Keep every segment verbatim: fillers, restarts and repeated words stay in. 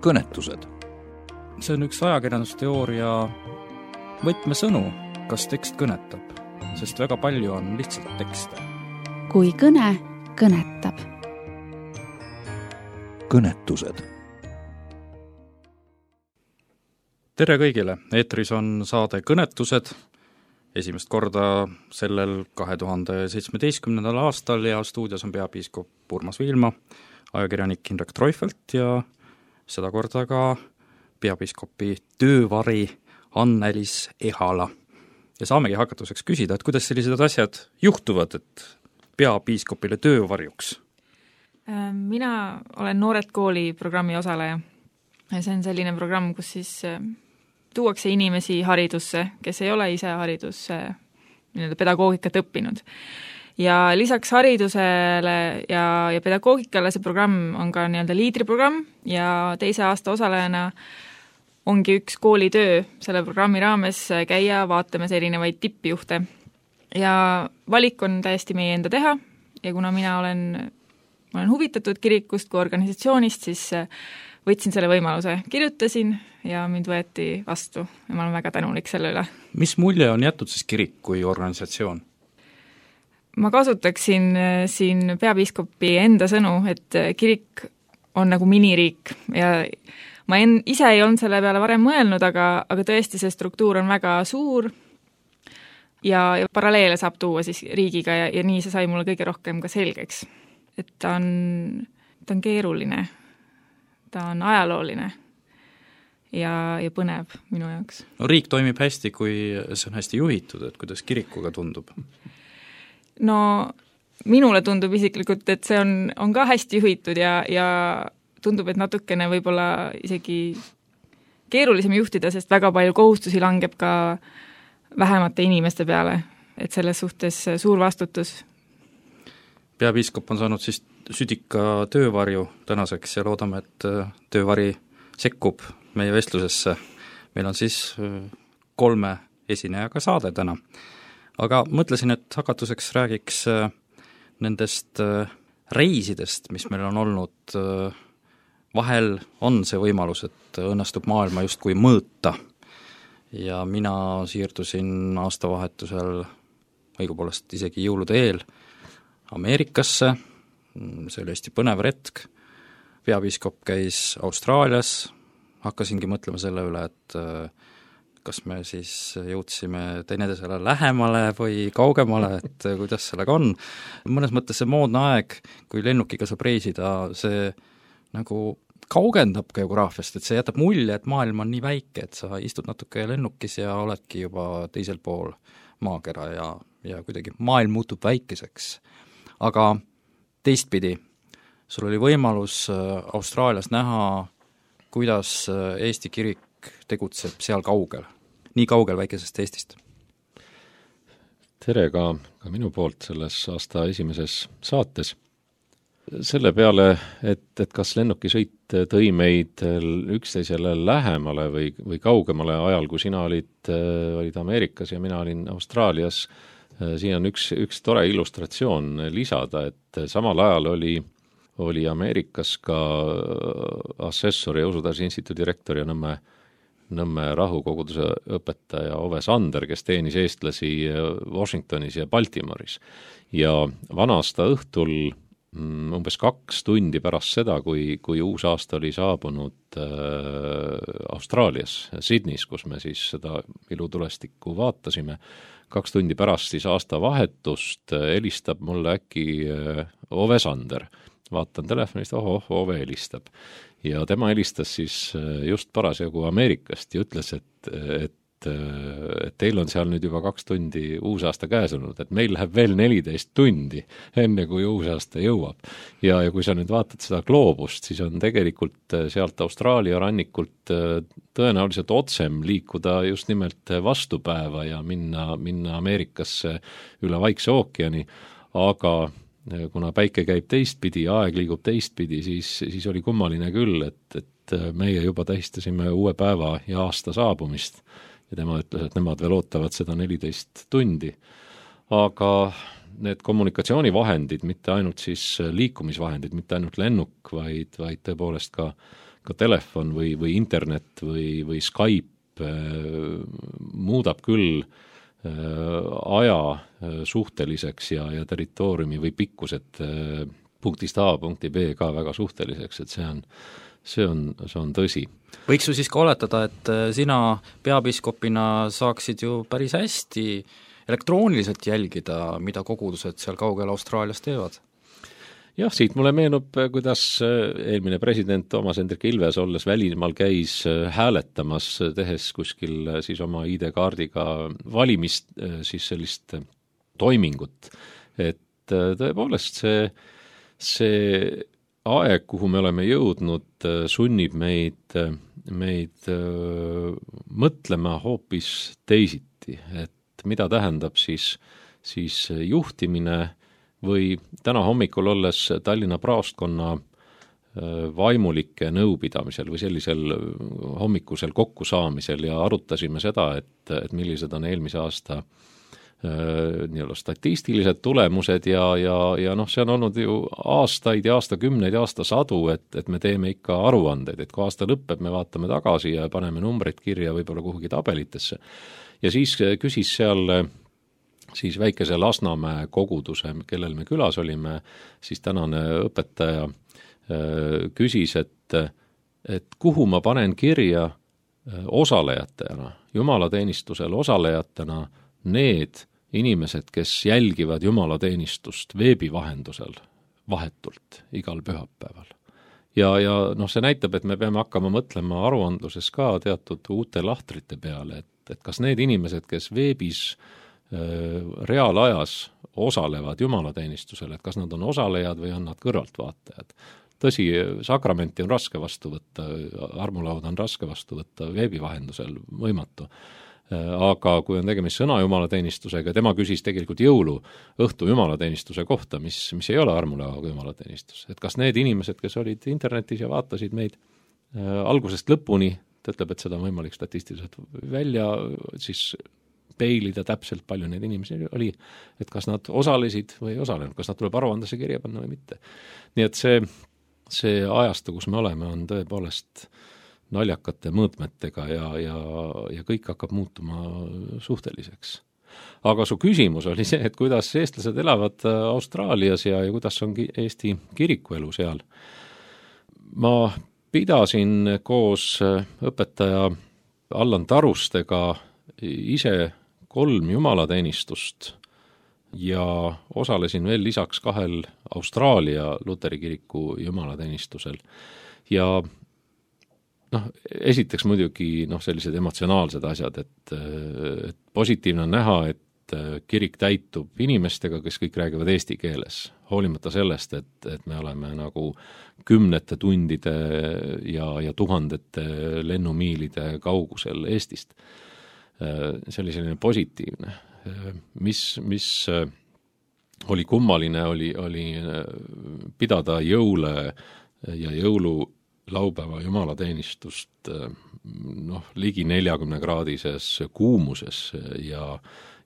kõnetused. See on üks ajakirjandusteooria võtmesõnu, kas tekst kõnetab, sest väga palju on lihtsalt tekste. Kui kõne kõnetab. Kõnetused. Tere kõigile, eetris on saade Kõnetused, esimest korda sellel kahe tuhande seitsmeteistkümnendal aastal ja stuudios on peapiiskop Urmas Viilma, ajakirjanik Indrek Treufelt ja seda korda ka peapiiskopi töövari Anneliis Ehala. Ja saamegi hakatuseks küsida, et kuidas sellised asjad juhtuvad, et peapiiskopile töövarjuks? Mina olen Noored kooli programmi osaleja. See on selline programm, kus siis tuuakse inimesi haridusse, kes ei ole ise haridusse nii-öelda pedagoogikat õppinud. Ja lisaks haridusele ja, ja pedagoogikale see programm on ka nii-öelda liidriprogramm ja teise aasta osalejana ongi üks koolitöö selle programmi raames käia vaatamas erinevaid tippjuhte. Ja valik on täiesti meie enda teha ja kuna mina olen, olen huvitatud kirikust kui organisatsioonist, siis võtsin selle võimaluse, kirjutasin ja mind võeti vastu ja ma olen väga tänulik selle üle. Mis mulje on jätud siis kirik kui organisatsioon? Ma kasutaksin siin peapiiskopi enda sõnu, et kirik on nagu miniriik ja ma en, ise ei olnud selle peale varem mõelnud, aga, aga tõesti see struktuur on väga suur ja, ja paralleele saab tuua siis riigiga ja, ja nii see sai mulle kõige rohkem ka selgeks. Et ta on, ta on keeruline, ta on ajalooline ja, ja põnev minu jaoks. No riik toimib hästi, kui see on hästi juhitud, et kuidas kirikuga tundub? No minule tundub isiklikult, et see on, on ka hästi juhitud ja, ja tundub, et natukene võib-olla isegi keerulisem juhtida, sest väga palju kohustusi langeb ka vähemate inimeste peale, et selles suhtes suur vastutus. Peapiiskop on saanud siis südika töövarju tänaseks ja loodame, et töövari sekkub meie vestlusesse. Meil on siis kolme esinejaga saade täna. Aga mõtlesin, et hakatuseks räägiks nendest reisidest, mis meil on olnud. Vahel on see võimalus, et õnnestub maailma justkui mõõta. Ja mina siirdusin aastavahetusel, õigupoolest isegi jõulude eel, Ameerikasse. See oli hästi põnev retk. Peapiiskop käis Austraalias. Hakkasingi mõtlema selle üle, et kas me siis jõudsime teineteisele lähemale või kaugemale, et kuidas sellega on. Mõnes mõttes see moodne aeg, kui lennukiga saab reisida, see nagu kaugendab geograafiast, et see jätab mulje, et maailm on nii väike, et sa istud natuke lennukis ja oledki juba teisel pool maakera ja, ja kuidagi maailm muutub väikeseks. Aga teistpidi, sul oli võimalus Austraalias näha, kuidas Eesti kirik tegutseb seal kaugel, nii kaugel väikesest Eestist. Tere ka, ka minu poolt selles aasta esimeses saates. Selle peale, et, et kas lennukisõit tõi meid üksteisele lähemale või, või kaugemale ajal, kui sina olid, olid Ameerikas ja mina olin Austraalias, siin on üks, üks tore illustratsioon lisada, et samal ajal oli oli Ameerikas ka assessor ja Usutarsi instituudi direktor ja Nõmme, Nõmme rahukoguduse õpetaja Ove Sander, kes teenis eestlasi Washingtonis ja Baltimoris. Ja vanasta õhtul umbes kaks tundi pärast seda, kui, kui uus aasta oli saabunud äh, Austraalias, Sydneys, kus me siis seda ilutulestikku vaatasime, kaks tundi pärast siis aasta vahetust helistab mulle äkki äh, Ove Sander. Vaatan telefonist, oho, Ove helistab. Ja tema helistas siis just parasjagu Ameerikast ja ütles, et, et, et teil on seal nüüd juba kaks tundi uusaasta käes olnud, et meil läheb veel neliteist tundi, enne kui uusaasta jõuab. Ja, ja kui sa nüüd vaatad seda gloobust, siis on tegelikult sealt Austraalia rannikult tõenäoliselt otsem liikuda just nimelt vastupäeva ja minna, minna Ameerikasse üle Vaikse ookeani, aga kuna päike käib teistpidi ja aeg liigub teistpidi, siis, siis oli kummaline küll, et, et meie juba tähistasime uue päeva ja aasta saabumist ja tema ütles, et nemad veel ootavad seda neliteist tundi. Aga need kommunikatsioonivahendid, mitte ainult siis liikumisvahendid, mitte ainult lennuk, vaid, vaid tõepoolest ka, ka telefon või, või internet või, või Skype muudab küll aja suhteliseks ja, ja territooriumi või pikkused punktist A punkti B ka väga suhteliseks, et see on, see on, see on tõsi. Võiks ju siis ka oletada, et sina peapiiskopina saaksid ju päris hästi elektrooniliselt jälgida, mida kogudused seal kaugel Austraalias teevad? Jah, siit mulle meenub, kuidas eelmine president Toomas Hendrik Ilves olles välismaal käis hääletamas, tehes kuskil siis oma I D-kaardiga valimist, siis sellist toimingut. Et tõepoolest see, see aeg, kuhu me oleme jõudnud, sunnib meid, meid mõtlema hoopis teisiti, et mida tähendab siis, siis juhtimine või täna hommikul olles Tallinna praostkonna vaimulike nõupidamisel või sellisel hommikusel kokkusaamisel ja arutasime seda, et, et millised on eelmise aasta nii-olla statistilised tulemused ja, ja, ja noh, see on olnud ju aastaid ja aastakümneid ja aastasadu, et, et me teeme ikka aruandeid, et kui aasta lõppeb, me vaatame tagasi ja paneme numbreid kirja võib-olla kuhugi tabelitesse. Ja siis küsis seal siis väikese Lasnamäe koguduse, kellel me külas olime, siis tänane õpetaja küsis, et, et kuhu ma panen kirja osalejatena, jumalateenistusel osalejatena need inimesed, kes jälgivad jumalateenistust veebi vahendusel vahetult igal pühapäeval. Ja, ja noh, see näitab, et me peame hakkama mõtlema aruandluses ka teatud uute lahtrite peale, et, et kas need inimesed, kes veebis äh, reaalajas osalevad jumalateenistusel, et kas nad on osalejad või on nad kõrvaltvaatajad. Tõsi, sakramenti on raske vastu võtta, armulauda on raske vastu võtta veebi vahendusel, võimatu. Aga kui on tegemist sõna jumalateenistusega, tema küsis tegelikult jõulu õhtu jumalateenistuse kohta, mis, mis ei ole armulauaga jumalateenistus. Et kas need inimesed, kes olid internetis ja vaatasid meid äh, algusest lõpuni, ta ütleb, et seda on võimalik statistiliselt välja siis peilida täpselt, palju neid inimesi oli, et kas nad osalesid või ei osalenud, kas nad tuleb aruandesse kirja panna või mitte. Nii et see, see ajastu, kus me oleme, on tõepoolest naljakate mõõtmetega ja, ja, ja kõik hakkab muutuma suhteliseks. Aga su küsimus oli see, et kuidas eestlased elavad Austraalias ja, ja kuidas on Eesti kirikuelu seal. Ma pidasin koos õpetaja Allan Tarustega ise kolm jumalateenistust ja osalesin veel lisaks kahel Austraalia Luteri kiriku jumalateenistusel. Ja noh, esiteks muidugi noh, sellised emotsionaalsed asjad, et, et positiivne on näha, et kirik täitub inimestega, kes kõik räägivad eesti keeles, hoolimata sellest, et, et me oleme nagu kümnete tundide ja, ja tuhandete lennumiilide kaugusel Eestist. See oli selline positiivne. Mis, mis oli kummaline, oli, oli pidada jõule ja jõulu laupäeva jumalateenistust noh, ligi neljakümne kraadises kuumuses ja,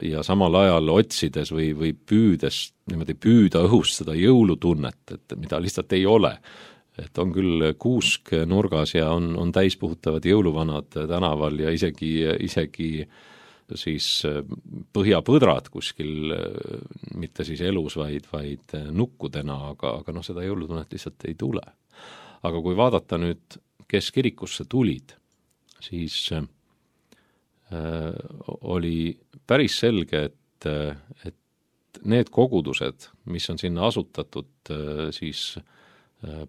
ja samal ajal otsides või, või püüdes, niimoodi püüda õhust seda jõulutunnet, et mida lihtsalt ei ole. Et on küll kuusk nurgas ja on, on täispuhutavad jõuluvanad tänaval ja isegi, isegi siis põhjapõdrad kuskil, mitte siis elus, vaid, vaid nukkudena, aga, aga noh, seda jõulutunnet lihtsalt ei tule. Aga kui vaadata nüüd, kes kirikusse tulid, siis äh, oli päris selge, et, et need kogudused, mis on sinna asutatud äh, siis äh,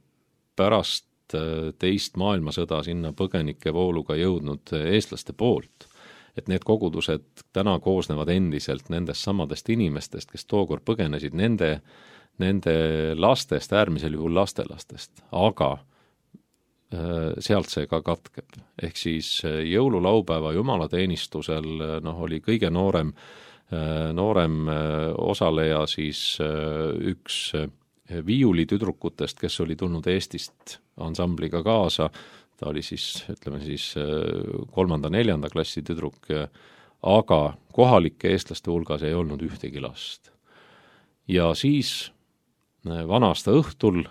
pärast äh, teist maailmasõda sinna põgenike vooluga jõudnud eestlaste poolt, et need kogudused täna koosnevad endiselt nendest samadest inimestest, kes tookord põgenesid, nende nende lastest, äärmisel juhul lastelastest, aga sealt see ka katkeb. Ehk siis jõululaupäeva jumalateenistusel noh, oli kõige noorem, noorem osaleja siis üks viiulitüdrukutest, kes oli tulnud Eestist ansambliga kaasa, ta oli siis, ütleme siis kolmanda-neljanda klassi tüdruk, aga kohalike eestlaste hulgas ei olnud ühtegi last. ja siis vana-aasta õhtul,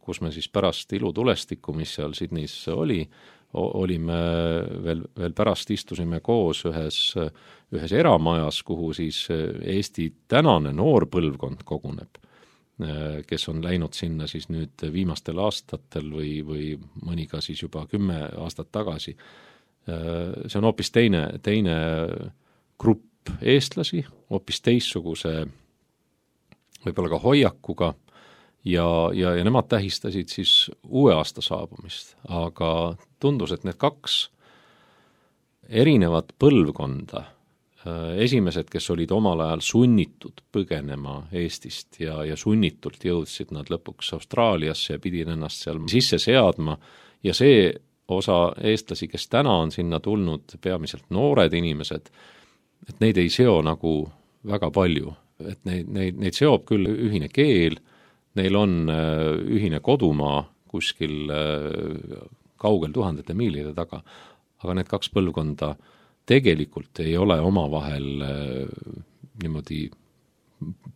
kus me siis pärast ilutulestikku, mis seal Sydneys oli, olime veel, veel pärast istusime koos ühes, ühes eramajas, kuhu siis Eesti tänane noor põlvkond koguneb, kes on läinud sinna siis nüüd viimastel aastatel või, või mõni ka siis juba kümme aastat tagasi. See on hoopis teine, teine grupp eestlasi, hoopis teissuguse võib-olla ka hoiakuga ja, ja, ja nemad tähistasid siis uue aasta saabumist, aga tundus, et need kaks erinevat põlvkonda, esimesed, kes olid omal ajal sunnitud põgenema Eestist ja, ja sunnitult jõudsid nad lõpuks Austraaliasse ja pidid ennast seal sisse seadma ja see osa eestlasi, kes täna on sinna tulnud, peamiselt noored inimesed, et neid ei seo nagu väga palju, et neid, neid, neid seob küll ühine keel, neil on ühine kodumaa kuskil kaugel tuhandete miilide taga, aga need kaks põlvkonda tegelikult ei ole omavahel niimoodi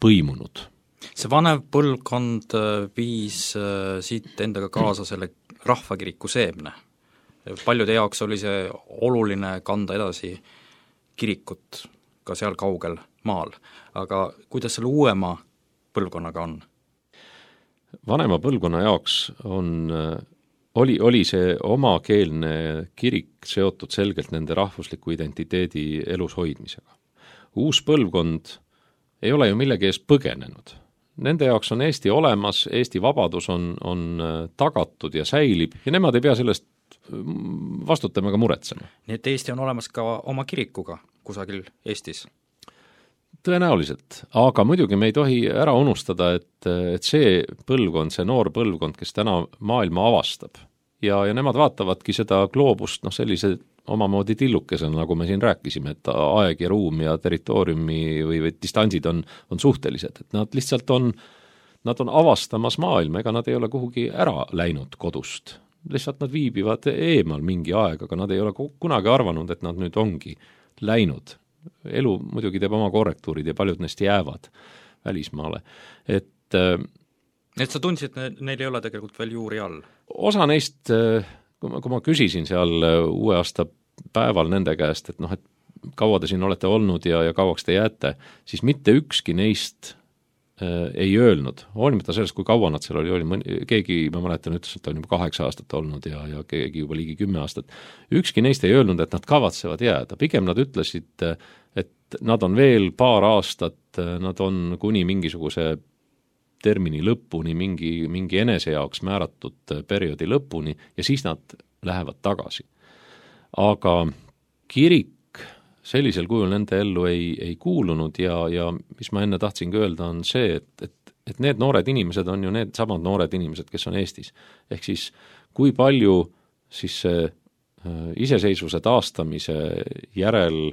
põimunud. See vanev põlvkond viis siit endaga kaasa selle rahvakiriku seemne. Paljude jaoks oli see oluline kanda edasi kirikut ka seal kaugel maal, aga kuidas selle uuema põlvkonnaga on? Vanema põlvkonna jaoks on, oli, oli see omakeelne kirik seotud selgelt nende rahvusliku identiteedi elus hoidmisega. Uus põlvkond ei ole ju millegi ees põgenenud. Nende jaoks on Eesti olemas, Eesti vabadus on, on tagatud ja säilib ja nemad ei pea sellest vastutama ega muretsema. Nii et Eesti on olemas ka oma kirikuga kusagil Eestis? Tõenäoliselt, aga muidugi me ei tohi ära unustada, et, et see põlvkond, see noor põlvkond, kes täna maailma avastab ja, ja nemad vaatavadki seda gloobust noh, sellise omamoodi tillukesena, nagu me siin rääkisime, et aeg ja ruum ja territooriumi või, või distantsid on, on suhtelised, et nad lihtsalt on, nad on avastamas maailma, ega nad ei ole kuhugi ära läinud kodust. Lihtsalt nad viibivad eemal mingi aeg, aga nad ei ole kunagi arvanud, et nad nüüd ongi läinud. Elu muidugi teeb oma korrektuurid ja paljud neist jäävad välismaale. Et, et sa tundsid, et neil ei ole tegelikult veel juuri all? Osa neist, kui ma, kui ma küsisin seal uue aasta päeval nende käest, et noh, et kaua te siin olete olnud ja, ja kauaks te jääte, siis mitte ükski neist äh, ei öelnud, hoolimata sellest, kui kaua nad seal oli, oli mõni, keegi, ma mäletan, ütles, et on juba kaheksa aastat olnud ja, ja keegi juba ligi kümme aastat. Ükski neist ei öelnud, et nad kavatsevad jääda, pigem nad ütlesid, et nad on veel paar aastat, nad on kuni mingisuguse termini lõpuni, mingi, mingi enese jaoks määratud perioodi lõpuni ja siis nad lähevad tagasi. Aga kirik sellisel kujul nende ellu ei, ei kuulunud ja, ja mis ma enne tahtsingi öelda, on see, et, et, et need noored inimesed on ju need samad noored inimesed, kes on Eestis. Ehk siis kui palju siis see iseseisvuse taastamise järel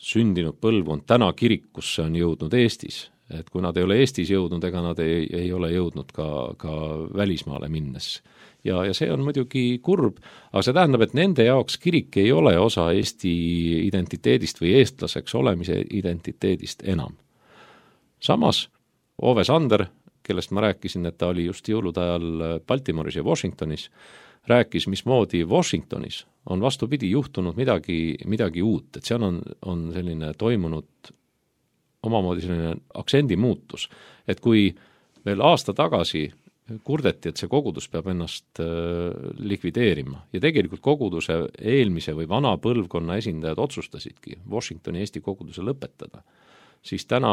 sündinud põlvkond täna kirikusse on jõudnud Eestis, et kui nad ei ole Eestis jõudnud, ega nad ei, ei ole jõudnud ka, ka välismaale minnes. Ja, ja see on muidugi kurb, aga see tähendab, et nende jaoks kirik ei ole osa Eesti identiteedist või eestlaseks olemise identiteedist enam. Samas Ove Sander, kellest ma rääkisin, et ta oli just jõulude ajal Baltimoris ja Washingtonis, rääkis, mismoodi Washingtonis on vastupidi juhtunud midagi, midagi uut, et seal on, on selline toimunud omamoodi selline aktsendi muutus, et kui veel aasta tagasi kurdeti, et see kogudus peab ennast likvideerima ja tegelikult koguduse eelmise või vana põlvkonna esindajad otsustasidki Washingtoni Eesti koguduse lõpetada, siis täna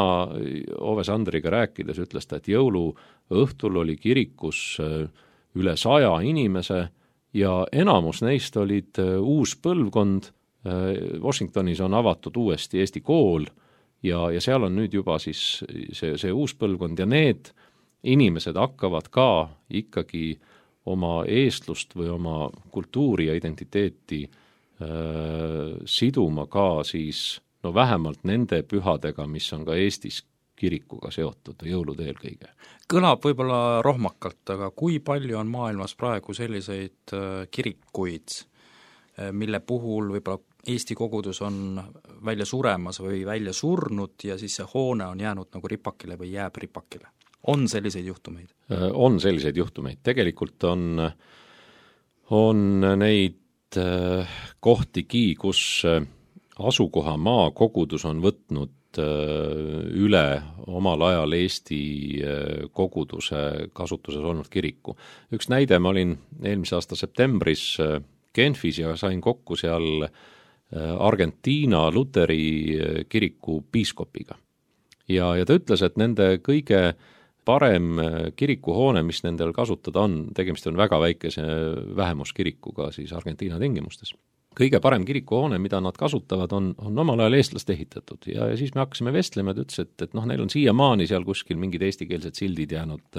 Ove Sandriga rääkides ütles ta, et jõuluõhtul oli kirikus üle saja inimese ja enamus neist olid uus põlvkond. Washingtonis on avatud uuesti Eesti kool ja, ja seal on nüüd juba siis see, see uus põlvkond ja need inimesed hakkavad ka ikkagi oma eestlust või oma kultuuri ja identiteeti äh, siduma ka siis no vähemalt nende pühadega, mis on ka Eestis kirikuga seotud, jõulude eelkõige. Kõlab võib-olla rohmakalt, aga kui palju on maailmas praegu selliseid kirikuid, mille puhul võib-olla Eesti kogudus on välja suremas või välja surnud ja siis see hoone on jäänud nagu ripakile või jääb ripakile. On selliseid juhtumeid? On selliseid juhtumeid. Tegelikult on, on neid kohtigi, kus asukoha maa kogudus on võtnud üle omal ajal Eesti koguduse kasutuses olnud kiriku. Üks näide, ma olin eelmise aasta septembris Genfis ja sain kokku seal Argentiina luteri kiriku piiskopiga. Ja, ja ta ütles, et nende kõige parem kirikuhoone, mis nendel kasutada on, tegemist on väga väikese vähemuskirikuga siis Argentiina tingimustes. Kõige parem kirikuhoone, mida nad kasutavad, on, on omal ajal eestlaste ehitatud ja, ja siis me hakkasime vestlema, et ütles, et, et noh, neil on siiamaani seal kuskil mingid eestikeelsed sildid jäänud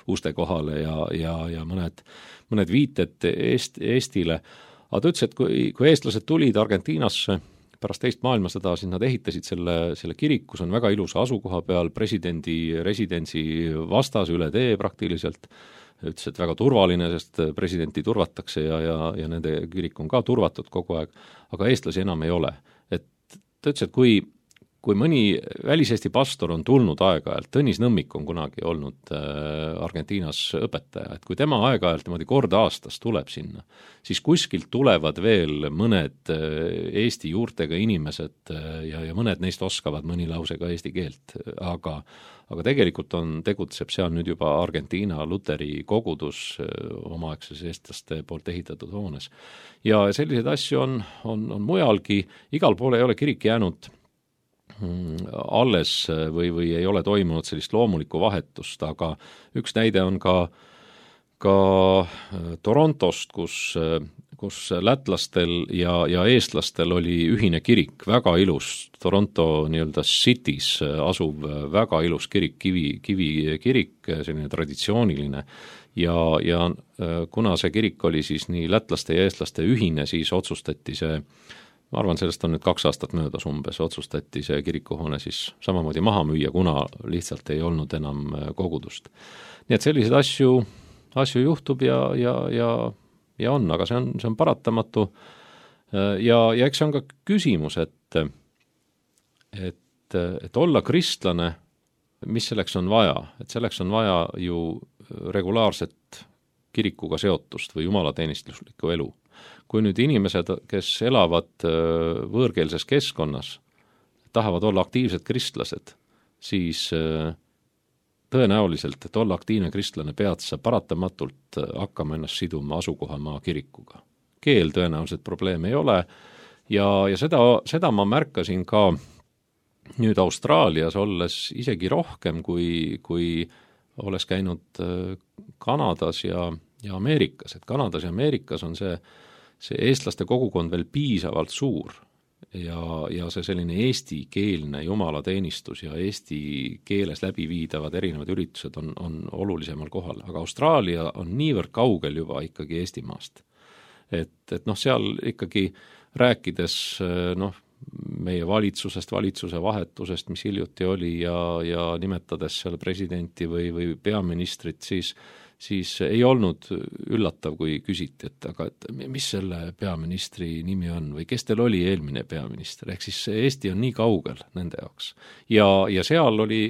uste kohale ja, ja, ja mõned, mõned viited Eest, Eestile. Aga ta ütles, et kui, kui eestlased tulid Argentiinasse pärast teist maailmasõda, siis nad ehitasid selle, selle kiriku, see on väga ilusa asukoha peal, presidendi residentsi vastas üle tee praktiliselt, ütles, et väga turvaline, sest presidenti turvatakse ja, ja, ja nende kirik on ka turvatud kogu aeg, aga eestlasi enam ei ole. Et ta ütles, et kui, kui mõni väliseesti pastor on tulnud aeg-ajalt, Tõnis Nõmmik on kunagi olnud Argentiinas õpetaja, et kui tema aeg-ajalt niimoodi korda aastas tuleb sinna, siis kuskilt tulevad veel mõned Eesti juurtega inimesed ja, ja mõned neist oskavad mõni lause ka eesti keelt, aga, aga tegelikult on, tegutseb seal nüüd juba Argentiina luteri kogudus omaaegses eestlaste poolt ehitatud hoones. Ja selliseid asju on, on, on mujalgi, igal pool ei ole kirik jäänud alles või, või ei ole toimunud sellist loomulikku vahetust, aga üks näide on ka, ka Torontost, kus, kus lätlastel ja, ja eestlastel oli ühine kirik, väga ilus, Toronto nii-öelda cities asuv väga ilus kirik, kivi, kivi kirik, selline traditsiooniline ja, ja kuna see kirik oli siis nii lätlaste ja eestlaste ühine, siis otsustati see ma arvan, sellest on nüüd kaks aastat möödas umbes, otsustati see kirikuhoone siis samamoodi maha müüa, kuna lihtsalt ei olnud enam kogudust. Nii et selliseid asju, asju juhtub ja, ja, ja, ja on, aga see on, see on paratamatu. Ja, ja eks see on ka küsimus, et, et, et olla kristlane, mis selleks on vaja? Et selleks on vaja ju regulaarset kirikuga seotust või jumalateenistuslikku elu. Kui nüüd inimesed, kes elavad võõrkeelses keskkonnas, tahavad olla aktiivsed kristlased, siis tõenäoliselt, et olla aktiivne kristlane, pead sa paratamatult hakkama ennast siduma asukohamaa kirikuga. Keel tõenäoliselt probleem ei ole ja, ja seda, seda ma märkasin ka nüüd Austraalias olles isegi rohkem, kui, kui olles käinud Kanadas ja, ja Ameerikas. Et Kanadas ja Ameerikas on see see eestlaste kogukond veel piisavalt suur ja, ja see selline eestikeelne jumalateenistus ja eesti keeles läbiviidavad erinevad üritused on, on olulisemal kohal, aga Austraalia on niivõrd kaugel juba ikkagi Eestimaast. Et, et noh, seal ikkagi rääkides noh, meie valitsusest, valitsuse vahetusest, mis hiljuti oli ja, ja nimetades seal presidenti või, või peaministrit, siis siis ei olnud üllatav, kui küsiti, et aga et mis selle peaministri nimi on või kes teil oli eelmine peaminister, ehk siis Eesti on nii kaugel nende jaoks. Ja, ja seal oli,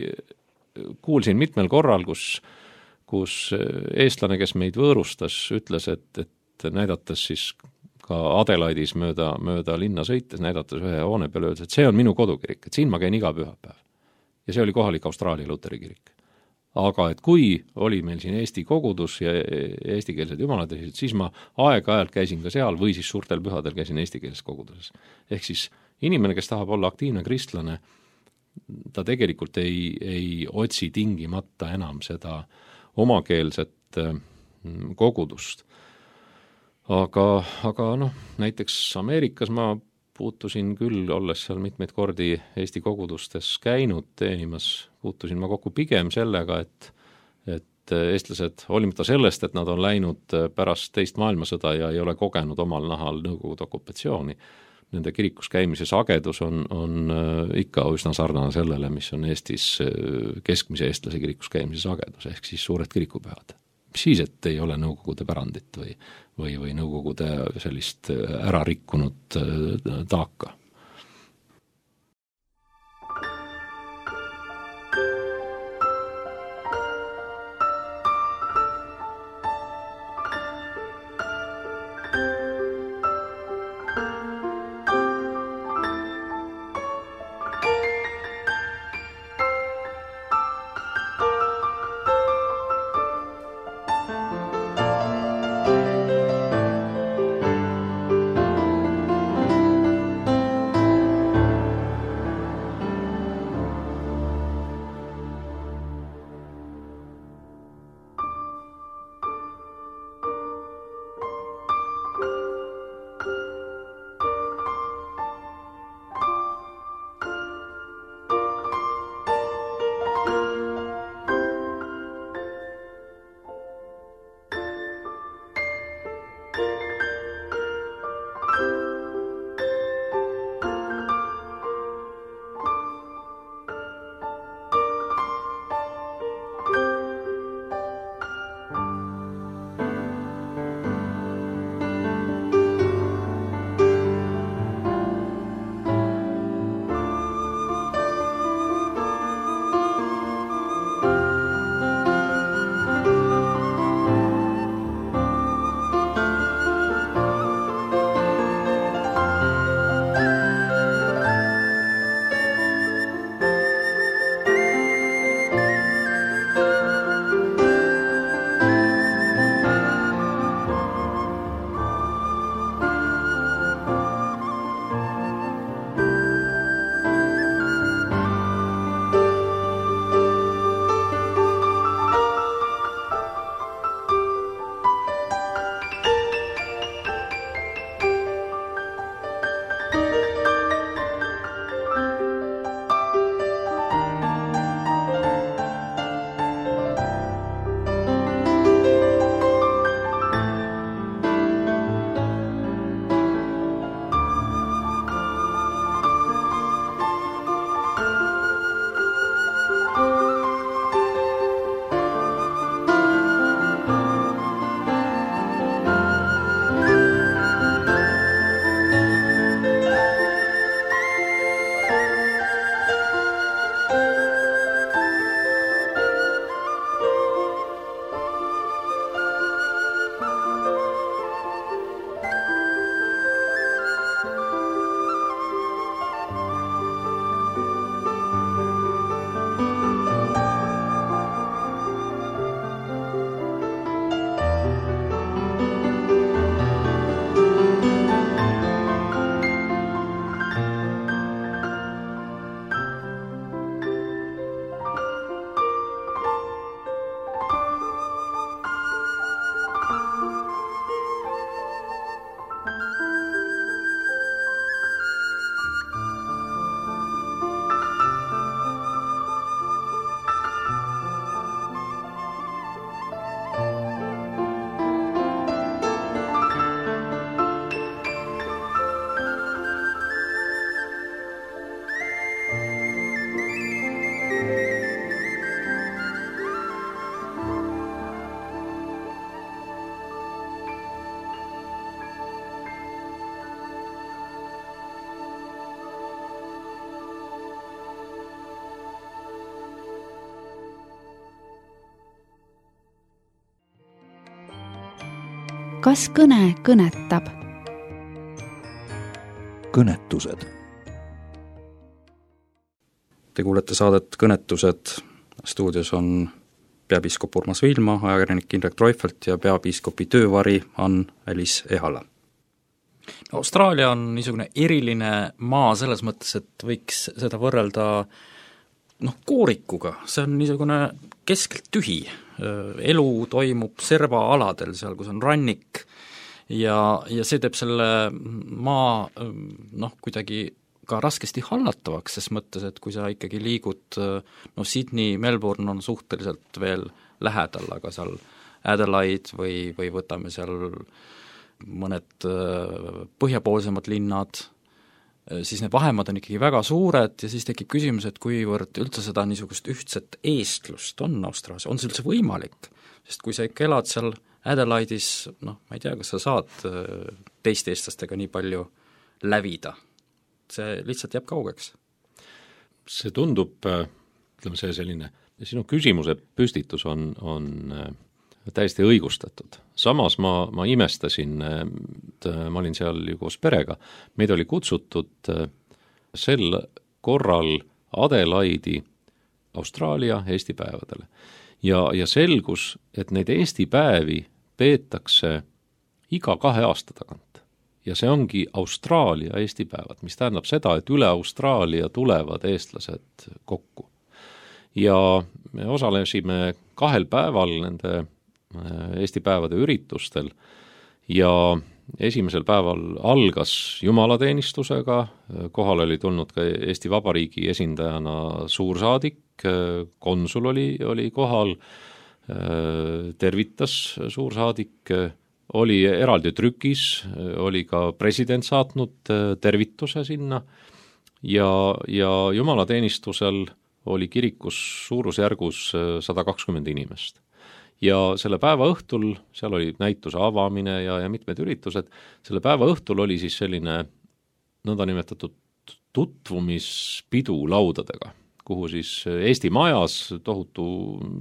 kuulsin mitmel korral, kus, kus eestlane, kes meid võõrustas, ütles, et, et näidates siis ka Adelaidis mööda, mööda linna sõites, näidates ühe hoone peale, öeldes, et see on minu kodukirik, et siin ma käin iga pühapäev. Ja see oli kohalik Austraalia luteri kirik. Aga et kui oli meil siin Eesti kogudus ja eestikeelsed jumalateenistused, siis ma aeg-ajalt käisin ka seal või siis suurtel pühadel käisin eestikeelses koguduses. Ehk siis inimene, kes tahab olla aktiivne kristlane, ta tegelikult ei, ei otsi tingimata enam seda omakeelset kogudust. Aga, aga noh, näiteks Ameerikas ma puutusin küll, olles seal mitmeid kordi Eesti kogudustes käinud teenimas, puutusin ma kokku pigem sellega, et, et eestlased, hoolimata sellest, et nad on läinud pärast teist maailmasõda ja ei ole kogenud omal nahal Nõukogude okupatsiooni, nende kirikus käimise sagedus on, on ikka üsna sarnane sellele, mis on Eestis keskmise eestlase kirikus käimise sagedus, ehk siis suured kirikupühad. mis siis, et ei ole Nõukogude pärandit või, või, või Nõukogude sellist ära rikkunud taaka. kas kõne kõnetab? kõnetused. Te kuulete saadet Kõnetused. Stuudios on peapiiskop Urmas Viilma, ajakirjanik Indrek Treufelt ja peapiiskopi töövari Ann-Alice Ehala. No, Austraalia on niisugune eriline maa selles mõttes, et võiks seda võrrelda noh, koorikuga, see on niisugune keskelt tühi, elu toimub servaaladel, seal kus on rannik ja, ja see teeb selle maa noh, kuidagi ka raskesti hallatavaks, ses mõttes, et kui sa ikkagi liigud, no Sydney, Melbourne on suhteliselt veel lähedal, aga seal Adelaide või, või võtame seal mõned põhjapoolsemad linnad, siis need vahemad on ikkagi väga suured ja siis tekib küsimus, et kuivõrd üldse seda niisugust ühtset eestlust on Austraalias, on see üldse võimalik? sest kui sa ikka elad seal Adelaide'is, noh, ma ei tea, kas sa saad teiste eestlastega nii palju lävida, see lihtsalt jääb kaugeks. See tundub, ütleme see selline, sinu küsimuse püstitus on, on täiesti õigustatud. Samas ma, ma imestasin, ma olin seal ju koos perega, meid oli kutsutud sel korral Adelaide'i Austraalia Eesti päevadele. Ja, ja selgus, et neid Eesti päevi peetakse iga kahe aasta tagant. Ja see ongi Austraalia Eesti päevad, mis tähendab seda, et üle Austraalia tulevad eestlased kokku. Ja me osalesime kahel päeval nende Eesti päevade üritustel ja esimesel päeval algas jumalateenistusega, kohal oli tulnud ka Eesti Vabariigi esindajana suursaadik, konsul oli, oli kohal, tervitas suursaadik, oli eraldi trükis, oli ka president saatnud tervituse sinna ja, ja jumalateenistusel oli kirikus suurusjärgus sada kakskümmend inimest. Ja selle päeva õhtul, seal oli näituse avamine ja, ja mitmed üritused, selle päeva õhtul oli siis selline nõndanimetatud tutvumispidu laudadega, kuhu siis Eesti majas, tohutu,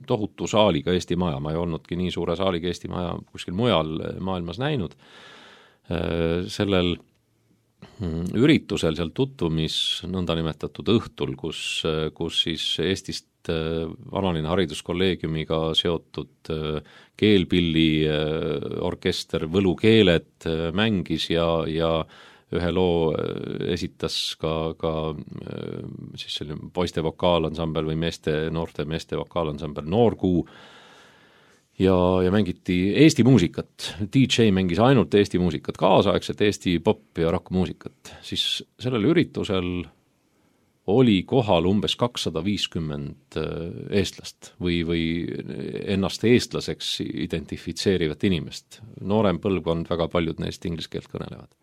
tohutu saaliga Eesti maja, ma ei olnudki nii suure saaliga Eesti maja kuskil mujal maailmas näinud, sellel üritusel seal tutvumis nõndanimetatud õhtul, kus, kus siis Eestist vanaline hariduskolleegiumiga seotud keelpilli orkester Võlukeeled mängis ja, ja ühe loo esitas ka, ka siis selline poiste vokaalansambel või meeste, noorte meeste vokaalansambel Noorkuu ja, ja mängiti Eesti muusikat. D J mängis ainult Eesti muusikat, kaasaegset Eesti pop- ja rock-muusikat. Siis sellel üritusel oli kohal umbes kakssada viiskümmend eestlast või, või ennast eestlaseks identifitseerivat inimest. Noorem põlvkond, väga paljud neist inglise keelt kõnelevad.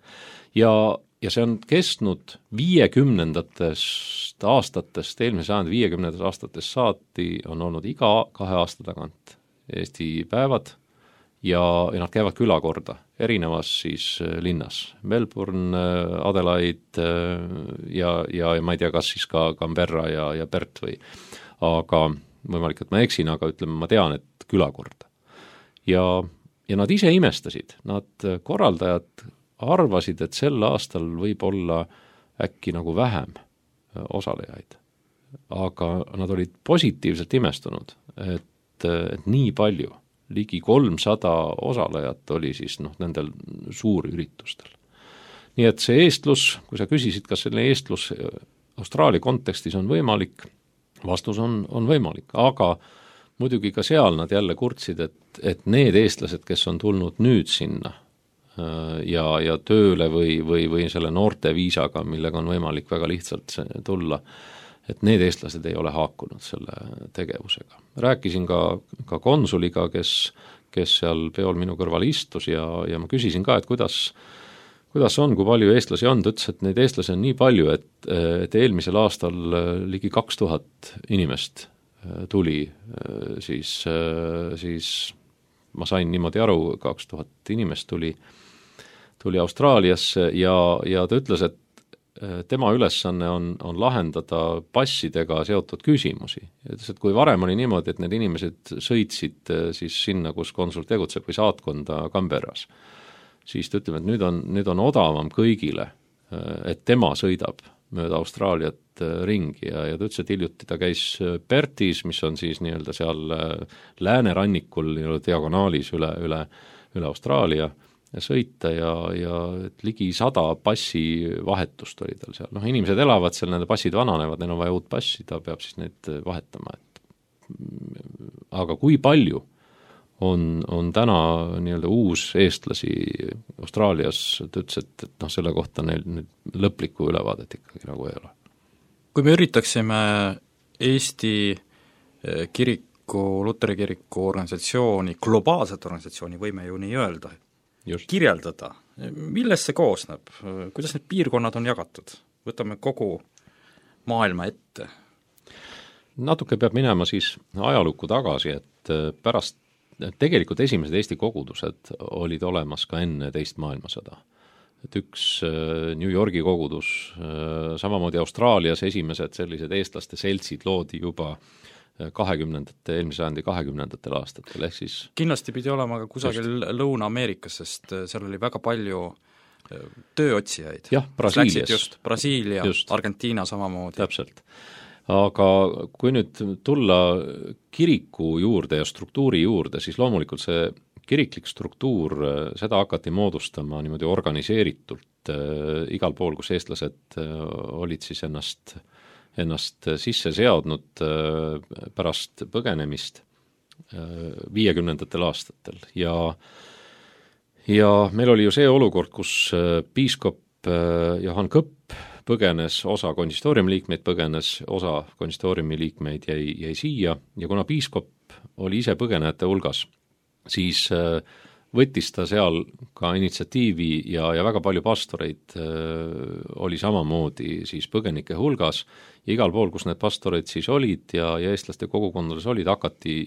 Ja, ja see on kestnud viiekümnendatest aastatest, eelmise sajandi viiekümnendatest aastatest saati on olnud iga kahe aasta tagant Eesti päevad ja, ja nad käivad külakorda erinevas siis linnas. Melbourne, Adelaide ja, ja, ja ma ei tea, kas siis ka Canberra ja, ja Perth või, aga võimalik, et ma eksin, aga ütleme, ma tean, et külakorda. Ja, ja nad ise imestasid, nad korraldajad arvasid, et sel aastal võib olla äkki nagu vähem osalejaid. Aga nad olid positiivselt imestunud, et, et nii palju, ligi kolmsada osalejat oli siis noh, nendel suurüritustel. Nii et see eestlus, kui sa küsisid, kas selle eestlus Austraalia kontekstis on võimalik, vastus on, on võimalik, aga muidugi ka seal nad jälle kurtsid, et, et need eestlased, kes on tulnud nüüd sinna ja, ja tööle või, või, või selle noorte viisaga, millega on võimalik väga lihtsalt tulla, et need eestlased ei ole haakunud selle tegevusega. Rääkisin ka, ka konsuliga, kes, kes seal peol minu kõrval istus ja, ja ma küsisin ka, et kuidas, kuidas on, kui palju eestlasi on, ta ütles, et neid eestlasi on nii palju, et, et eelmisel aastal ligi kaks tuhat inimest tuli, siis, siis ma sain niimoodi aru, kaks tuhat inimest tuli, tuli Austraaliasse ja, ja ta ütles, et tema ülesanne on, on lahendada passidega seotud küsimusi. Et kui varem oli niimoodi, et need inimesed sõitsid siis sinna, kus konsul tegutseb või saatkonda Canberras, siis ta ütleb, et nüüd on, nüüd on odavam kõigile, et tema sõidab mööda Austraaliat ringi ja, ja ta ütles, et hiljuti ta käis Perthis, mis on siis nii-öelda seal läänerannikul nii-öelda diagonaalis üle, üle, üle Austraalia sõita ja, ja ligi sada passi vahetust oli tal seal. Noh, inimesed elavad seal, nende passid vananevad, neil on vaja uut passi, ta peab siis neid vahetama. Et aga kui palju on, on täna nii-öelda uus eestlasi Austraalias, ta ütles, et, et noh, selle kohta neil nüüd lõplikku ülevaadet ikkagi nagu ei ole. Kui me üritaksime Eesti kiriku, Luteri kiriku organisatsiooni, globaalset organisatsiooni, võime ju nii öelda, Just. kirjeldada, millest see koosneb, kuidas need piirkonnad on jagatud, võtame kogu maailma ette? Natuke peab minema siis ajalukku tagasi, et pärast tegelikult esimesed Eesti kogudused olid olemas ka enne teist maailmasõda. Et üks New Yorgi kogudus, samamoodi Austraalias esimesed sellised eestlaste seltsid loodi juba kahekümnendate, eelmise sajandi kahekümnendatel aastatel, ehk siis kindlasti pidi olema ka kusagil just Lõuna-Ameerikas, sest seal oli väga palju tööotsijaid. jah, Brasiilias. Just, Brasiilia, just. Argentiina samamoodi. Täpselt. Aga kui nüüd tulla kiriku juurde ja struktuuri juurde, siis loomulikult see kiriklik struktuur, seda hakati moodustama niimoodi organiseeritult äh, igal pool, kus eestlased äh, olid siis ennast, ennast sisse seadnud äh, pärast põgenemist äh, viiekümnendatel aastatel ja ja meil oli ju see olukord, kus äh, piiskop äh, Johan Kõpp põgenes, osa konsistooriumi liikmeid põgenes, osa konsistooriumi liikmeid jäi, jäi siia ja kuna piiskop oli ise põgenejate hulgas, siis võttis ta seal ka initsiatiivi ja, ja väga palju pastoreid oli samamoodi siis põgenike hulgas ja igal pool, kus need pastoreid siis olid ja, ja eestlaste kogukondades olid, hakati,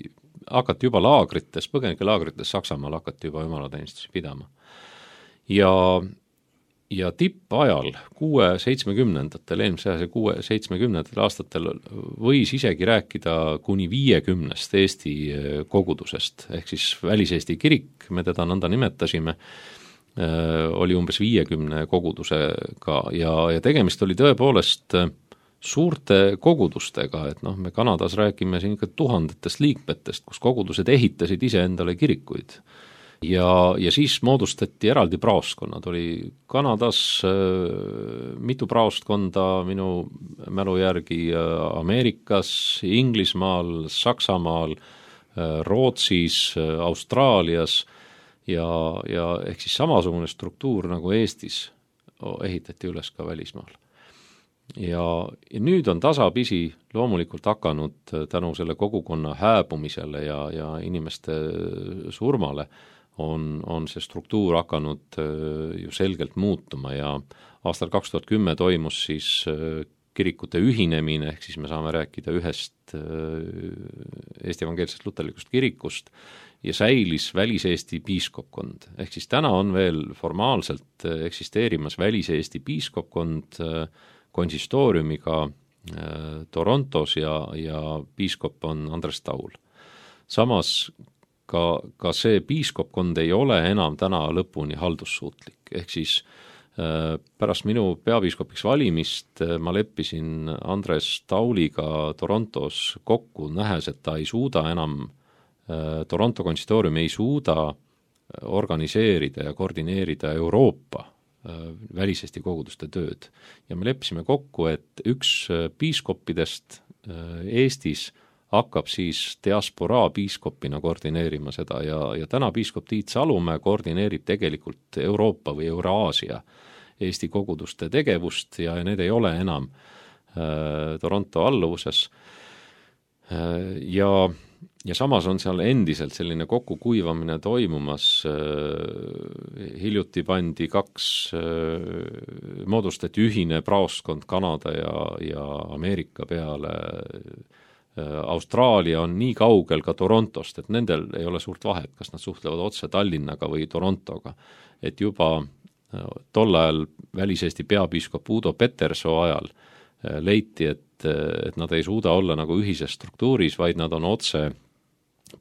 hakati juba laagrites, põgenike laagrites Saksamaal hakati juba jumalateenistusi pidama. Ja ja tippajal kuue seitsmekümnendatel, eelmise aja kuue seitsmekümnendatel aastatel võis isegi rääkida kuni viiekümnest Eesti kogudusest, ehk siis väliseesti kirik, me teda nõnda nimetasime, oli umbes viiekümne kogudusega ja, ja tegemist oli tõepoolest suurte kogudustega, et noh, me Kanadas räägime siin ikka tuhandetest liikmetest, kus kogudused ehitasid ise endale kirikuid. Ja, ja siis moodustati eraldi praostkonnad, oli Kanadas äh, mitu praostkonda minu mälu järgi äh, Ameerikas, Inglismaal, Saksamaal, äh, Rootsis, äh, Austraalias ja, ja ehk siis samasugune struktuur nagu Eestis ehitati üles ka välismaal. Ja, ja nüüd on tasapisi loomulikult hakanud tänu selle kogukonna hääbumisele ja, ja inimeste surmale on, on see struktuur hakanud ju selgelt muutuma ja aastal kaks tuhat kümme toimus siis kirikute ühinemine, ehk siis me saame rääkida ühest Eesti evangeelsest luterlikust kirikust ja säilis väliseesti piiskopkond. Ehk siis täna on veel formaalselt eksisteerimas väliseesti piiskopkond konsistooriumiga Torontos ja, ja piiskop on Andres Taul. Samas ka, ka see piiskopkond ei ole enam täna lõpuni haldussuutlik, ehk siis äh, pärast minu peapiiskopiks valimist äh, ma leppisin Andres Tauliga Torontos kokku, nähes, et ta ei suuda enam, äh, Toronto konsistoorium ei suuda organiseerida ja koordineerida Euroopa äh, väliseesti koguduste tööd. Ja me leppisime kokku, et üks piiskoppidest äh, Eestis hakkab siis diasporaa piiskopina koordineerima seda ja, ja täna piiskop Tiit Salumäe koordineerib tegelikult Euroopa või Euraasia Eesti koguduste tegevust ja need ei ole enam äh, Toronto alluvuses äh, ja, ja samas on seal endiselt selline kokkukuivamine toimumas äh, hiljuti pandi kaks äh, moodustati ühine praostkond Kanada ja, ja Ameerika peale. Austraalia on nii kaugel ka Torontost, et nendel ei ole suurt vahet, kas nad suhtlevad otse Tallinnaga või Torontoga. Et juba tol ajal väliseesti peapiiskop Udo Petersoo ajal leiti, et, et nad ei suuda olla nagu ühises struktuuris, vaid nad on otse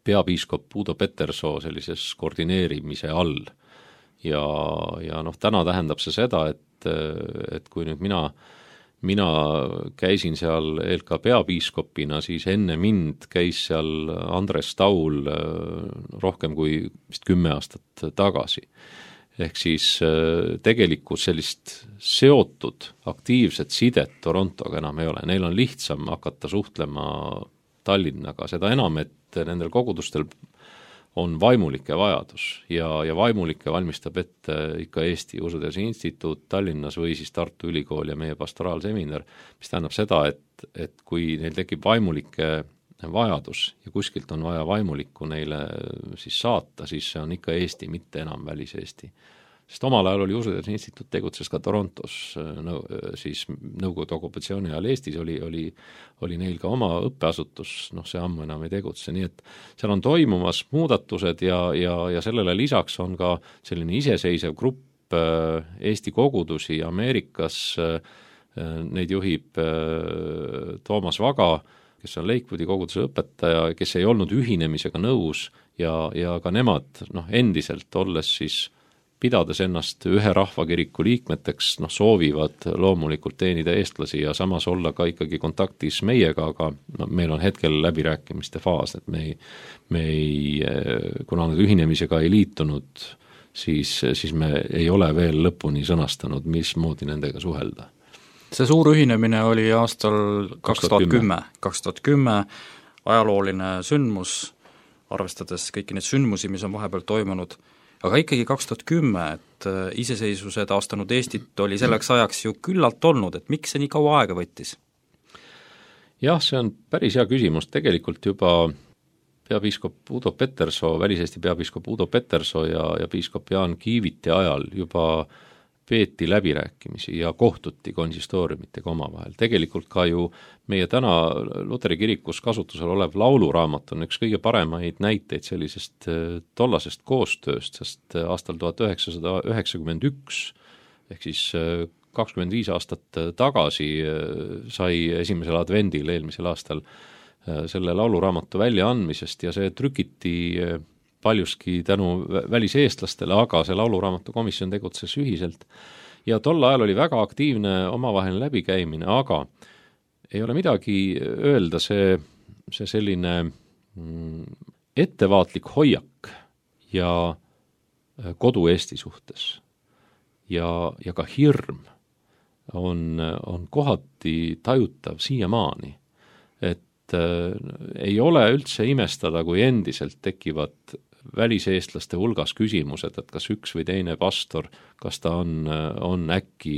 peapiiskop Udo Petersoo sellises koordineerimise all. Ja, ja noh, täna tähendab see seda, et, et kui nüüd mina Mina käisin seal E L K peapiiskopina, siis enne mind käis seal Andres Taul rohkem kui vist kümme aastat tagasi. Ehk siis tegelikult sellist seotud aktiivset sidet Torontoga enam ei ole. Neil on lihtsam hakata suhtlema Tallinnaga, seda enam, et nendel kogudustel on vaimulike vajadus ja, ja vaimulike valmistab ette ikka Eesti Usuteaduse Instituut Tallinnas või siis Tartu Ülikool ja meie pastoraalseminar, mis tähendab seda, et, et kui neil tekib vaimulike vajadus ja kuskilt on vaja vaimulikku neile siis saata, siis see on ikka Eesti, mitte enam väliseesti. sest omal ajal oli Usuteaduse Instituut tegutses ka Torontos, no, siis Nõukogude okupatsiooni ajal Eestis oli, oli, oli neil ka oma õppeasutus, noh see ammu enam ei tegutse, nii et seal on toimumas muudatused ja, ja, ja sellele lisaks on ka selline iseseisev grupp Eesti kogudusi Ameerikas, neid juhib Toomas Vaga, kes on Lakewoodi koguduse õpetaja, kes ei olnud ühinemisega nõus ja, ja ka nemad noh, endiselt olles siis pidades ennast ühe rahvakiriku liikmeteks, noh soovivad loomulikult teenida eestlasi ja samas olla ka ikkagi kontaktis meiega, aga no, meil on hetkel läbirääkimiste faas, et me ei, me ei, kuna nad ühinemisega ei liitunud, siis, siis me ei ole veel lõpuni sõnastanud, mismoodi nendega suhelda. See suur ühinemine oli aastal kaks tuhat kümme, kaks tuhat kümme ajalooline sündmus, arvestades kõiki neid sündmusi, mis on vahepeal toimunud, aga ikkagi kaks tuhat kümme, et iseseisvuse taastanud Eestit oli selleks ajaks ju küllalt olnud, et miks see nii kaua aega võttis? Jah, see on päris hea küsimus, tegelikult juba peapiiskop Udo Petersoo, väliseesti peapiiskop Udo Petersoo ja, ja piiskop Jaan Kiiviti ajal juba peeti läbirääkimisi ja kohtuti konsistooriumitega omavahel. Tegelikult ka ju meie täna Luteri kirikus kasutusel olev lauluraamat on üks kõige paremaid näiteid sellisest tollasest koostööst, sest aastal tuhat üheksasada üheksakümmend üks ehk siis kakskümmend viis aastat tagasi sai esimesel advendil eelmisel aastal selle lauluraamatu väljaandmisest ja see trükiti paljuski tänu väliseestlastele, aga see lauluraamatu komisjon tegutses ühiselt ja tol ajal oli väga aktiivne omavaheline läbikäimine, aga ei ole midagi öelda, see, see selline ettevaatlik hoiak ja kodu Eesti suhtes ja, ja ka hirm on, on kohati tajutav siiamaani, et ei ole üldse imestada, kui endiselt tekivad väliseestlaste hulgas küsimused, et kas üks või teine pastor, kas ta on, on äkki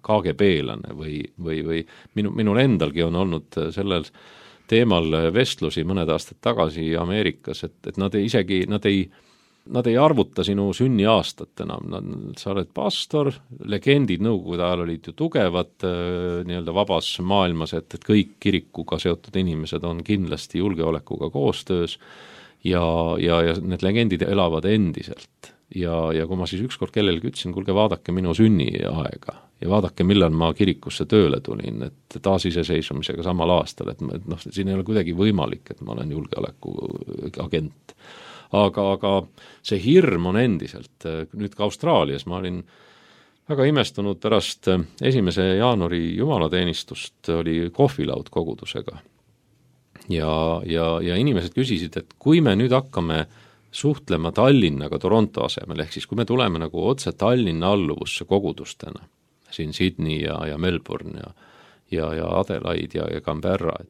K G B-lane või, või, või minu, minul endalgi on olnud sellel teemal vestlusi mõned aastad tagasi Ameerikas, et, et nad ei, isegi, nad ei Nad ei arvuta sinu sünniaastat enam, nad, sa oled pastor, legendid nõukogude ajal olid ju tugevad nii-öelda vabas maailmas, et, et kõik kirikuga seotud inimesed on kindlasti julgeolekuga koostöös ja, ja, ja need legendid elavad endiselt. Ja, ja kui ma siis ükskord kellelegi ütlesin, kuulge, vaadake minu sünniaega ja vaadake, millal ma kirikusse tööle tulin, et taasiseseisvumisega samal aastal, et, et noh, siin ei ole kuidagi võimalik, et ma olen julgeoleku agent. Aga, aga see hirm on endiselt, nüüd ka Austraalias ma olin väga imestunud pärast esimese jaanuari jumalateenistust oli kohvilaud kogudusega ja, ja, ja inimesed küsisid, et kui me nüüd hakkame suhtlema Tallinnaga Toronto asemel, ehk siis kui me tuleme nagu otse Tallinna alluvusse kogudustena, siin Sydney ja, ja Melbourne ja, ja, ja Adelaide ja, ja Canberra, et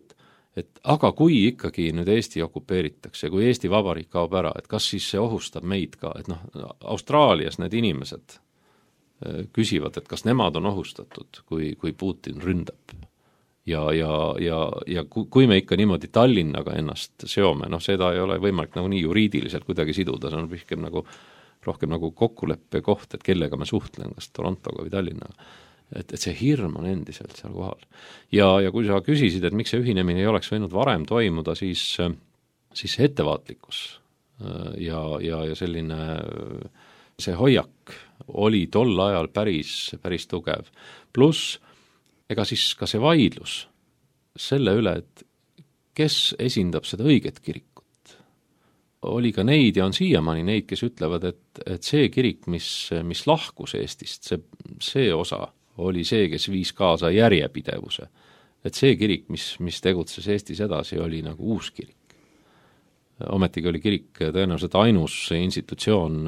et aga kui ikkagi nüüd Eesti okupeeritakse, kui Eesti Vabariik kaob ära, et kas siis see ohustab meid ka, et noh, Austraalias need inimesed küsivad, et kas nemad on ohustatud, kui, kui Putin ründab. Ja, ja, ja, ja kui me ikka niimoodi Tallinnaga ennast seome, noh seda ei ole võimalik nagu nii juriidiliselt kuidagi siduda, see on rohkem nagu, rohkem nagu kokkuleppe koht, et kellega me suhtlen, kas Torontoga või Tallinnaga. Et, et see hirm on endiselt seal kohal. Ja, ja kui sa küsisid, et miks see ühinemine ei oleks võinud varem toimuda, siis, siis see ettevaatlikkus ja, ja, ja selline see hoiak oli tol ajal päris, päris tugev. Pluss, ega siis ka see vaidlus selle üle, et kes esindab seda õiget kirikut. Oli ka neid ja on siiamaani neid, kes ütlevad, et, et see kirik, mis, mis lahkus Eestist, see, see osa oli see, kes viis kaasa järjepidevuse. Et see kirik, mis, mis tegutses Eestis edasi, oli nagu uus kirik. Ometigi oli kirik tõenäoliselt ainus institutsioon,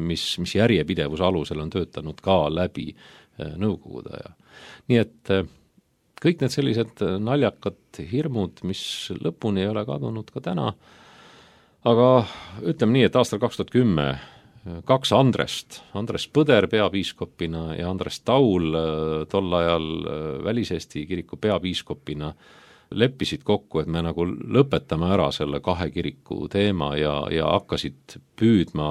mis, mis järjepidevuse alusel on töötanud ka läbi nõukogude aja. Nii et kõik need sellised naljakad hirmud, mis lõpuni ei ole kadunud ka täna, aga ütleme nii, et aastal kaks tuhat kümme kaks Andrest, Andres Põder peapiiskopina ja Andres Taul tol ajal Välis-Eesti kiriku peapiiskopina leppisid kokku, et me nagu lõpetame ära selle kahe kiriku teema ja, ja hakkasid püüdma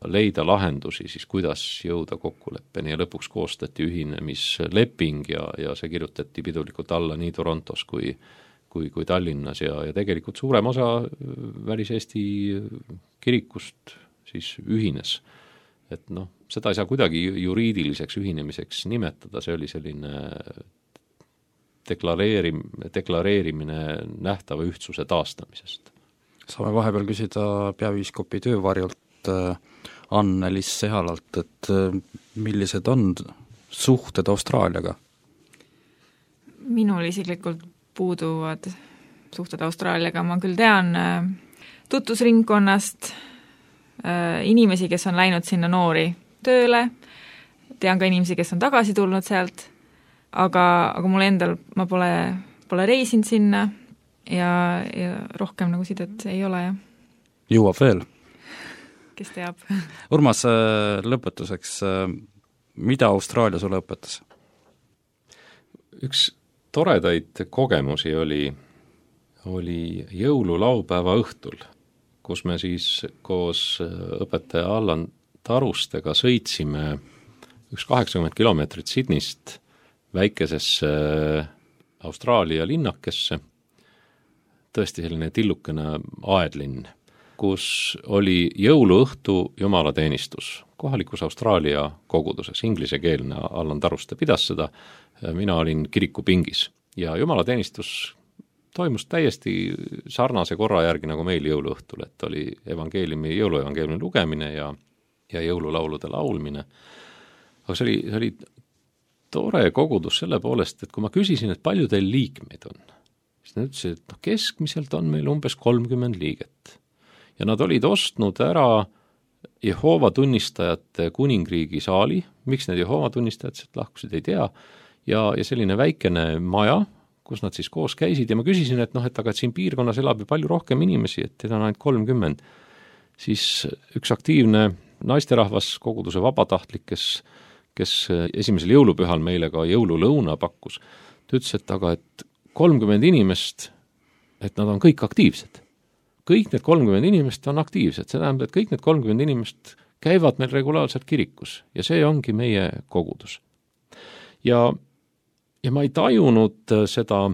leida lahendusi siis, kuidas jõuda kokkuleppeni ja lõpuks koostati ühinemisleping ja, ja see kirjutati pidulikult alla nii Torontos kui, kui, kui Tallinnas ja, ja tegelikult suurem osa Välis-Eesti kirikust siis ühines. Et noh, seda ei saa kuidagi juriidiliseks ühinemiseks nimetada, see oli selline deklareerim, deklareerimine nähtava ühtsuse taastamisest. Saame vahepeal küsida peapiiskopi töövarjult Anne-Liis Sehalalt, et millised on suhted Austraaliaga? Minul isiklikult puuduvad suhted Austraaliaga, ma küll tean tutvusringkonnast inimesi, kes on läinud sinna noori tööle, tean ka inimesi, kes on tagasi tulnud sealt, aga, aga mul endal, ma pole, pole reisinud sinna ja, ja rohkem nagu sidet ei ole. Jõuab veel? Kes teab. Urmas, lõpetuseks, mida Austraalia sulle õpetas? Üks toredaid kogemusi oli, oli jõululaupäeva õhtul, kus me siis koos õpetaja Allan Tarustega sõitsime üks kaheksakümmend kilomeetrit Sydneyst väikesesse Austraalia linnakesse, tõesti selline tillukene aedlinn, kus oli jõuluõhtu jumalateenistus kohalikus Austraalia koguduses, inglisekeelne Allan Taruste pidas seda, mina olin kirikupingis ja jumalateenistus toimus täiesti sarnase korra järgi nagu meil jõuluõhtul, et oli evangeeliumi, jõuluevangeeliumi lugemine ja, ja jõululaulude laulmine. Aga see oli, see oli tore kogudus selle poolest, et kui ma küsisin, et palju teil liikmeid on, siis nad ütlesid, et no, keskmiselt on meil umbes kolmkümmend liiget. Ja nad olid ostnud ära Jehoova tunnistajate kuningriigi saali, miks need Jehoova tunnistajad sealt lahkusid, ei tea, ja, ja selline väikene maja, kus nad siis koos käisid ja ma küsisin, et noh, et aga et siin piirkonnas elab ju palju rohkem inimesi, et teda on ainult kolmkümmend. Siis üks aktiivne naisterahvas, koguduse vabatahtlik, kes, kes esimesel jõulupühal meile ka jõululõuna pakkus, ta ütles, et aga et kolmkümmend inimest, et nad on kõik aktiivsed. Kõik need kolmkümmend inimest on aktiivsed, see tähendab, et kõik need kolmkümmend inimest käivad meil regulaarselt kirikus ja see ongi meie kogudus. Ja, ja ma ei tajunud seda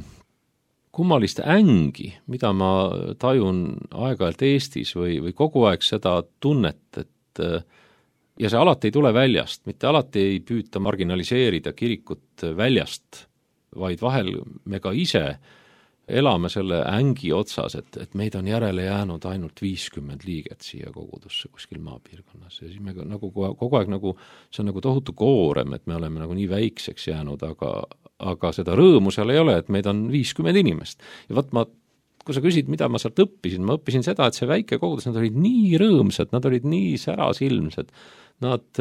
kummalist ängi, mida ma tajun aeg-ajalt Eestis või, või kogu aeg seda tunnet, et ja see alati ei tule väljast, mitte alati ei püüta marginaliseerida kirikut väljast, vaid vahel me ka ise elame selle ängi otsas, et, et meid on järele jäänud ainult viiskümmend liiget siia kogudusse kuskil maapiirkonnas ja siis me nagu kogu aeg nagu, see on nagu tohutu koorem, et me oleme nagu nii väikseks jäänud, aga, aga seda rõõmu seal ei ole, et meid on viiskümmend inimest. Ja võt ma, kui sa küsid, mida ma sealt õppisin, ma õppisin seda, et see väike kogudus, nad olid nii rõõmsad, nad olid nii särasilmsed, nad